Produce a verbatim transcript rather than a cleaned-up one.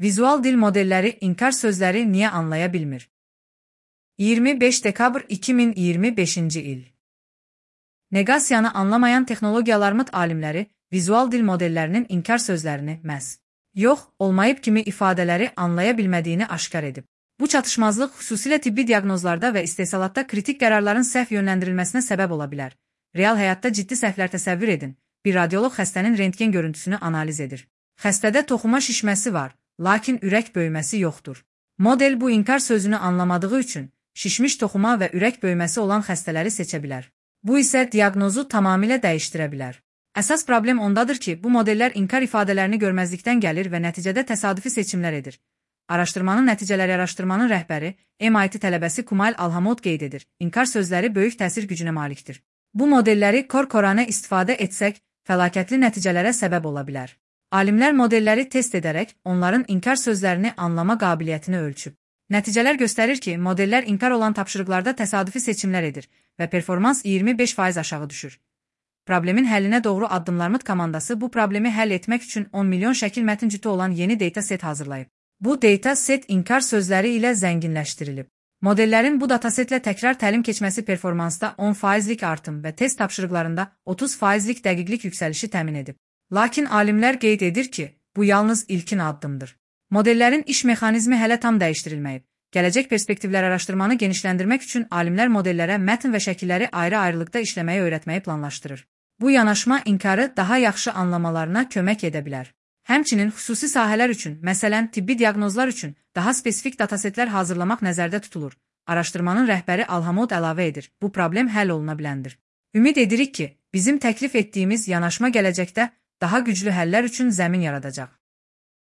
Vizual dil modelləri inkar sözləri niyə anlaya bilmir? iyirmi beş dekabr iki min iyirmi beşinci il. Negasiyanı anlamayan texnologiyalarımız alimləri vizual dil modellərinin inkar sözlərini məhz yox, olmayıb kimi ifadələri anlaya bilmədiyini aşkar edib. Bu çatışmazlıq xüsusilə tibbi diaqnozlarda və istehsalatda kritik qərarların səhv yönləndirilməsinə səbəb ola bilər. Real həyatda ciddi səhvlər təsəvvür edin. Bir radioloq xəstənin rentgen görüntüsünü analiz edir. Xəstədə toxuma şişməsi var, lakin ürək böyüməsi yoxdur. Model bu inkar sözünü anlamadığı üçün şişmiş toxuma və ürək böyüməsi olan xəstələri seçə bilər. Bu isə diaqnozu tamamilə dəyişdirə bilər. Əsas problem ondadır ki, bu modellər inkar ifadələrini görməzlikdən gəlir və nəticədə təsadüfi seçimlər edir. Araşdırmanın nəticələri araşdırmanın rəhbəri, M I T tələbəsi Kumail Alhamod qeyd edir. İnkar sözləri böyük təsir gücünə malikdir. Bu modelləri kor-koranə istifadə etsək, fəlakətli nəticələrə səbəb ola bilər. Alimlər modelləri test edərək onların inkar sözlərini anlama qabiliyyətini ölçüb. Nəticələr göstərir ki, modellər inkar olan tapşırıqlarda təsadüfi seçimlər edir və performans iyirmi beş faiz aşağı düşür. Problemin həllinə doğru addımlarımız komandası bu problemi həll etmək üçün on milyon şəkil mətin cütü olan yeni data set hazırlayıb. Bu data set inkar sözləri ilə zənginləşdirilib. Modellərin bu datasetlə təkrar təlim keçməsi performansda on faizlik artım və test tapşırıqlarında otuz faizlik dəqiqlik yüksəlişi təmin edib. Lakin alimlər qeyd edir ki, bu yalnız ilkin addımdır. Modellərin iş mexanizmi hələ tam dəyişdirilməyib. Gələcək perspektivlər araşdırmanı genişləndirmək üçün alimlər modellərə mətn və şəkilləri ayrı-ayrılıqda işləməyi öyrətməyi planlaşdırır. Bu yanaşma inkarı daha yaxşı anlamalarına kömək edə bilər. Həmçinin xüsusi sahələr üçün, məsələn, tibbi diaqnozlar üçün daha spesifik datasetlər hazırlamaq nəzərdə tutulur. Araşdırmanın rəhbəri Alhamod əlavə edir. Bu problem həll oluna biləndir. Ümid edirik ki, bizim təklif etdiyimiz yanaşma gələcəkdə daha güclü həllər üçün zəmin yaradacaq.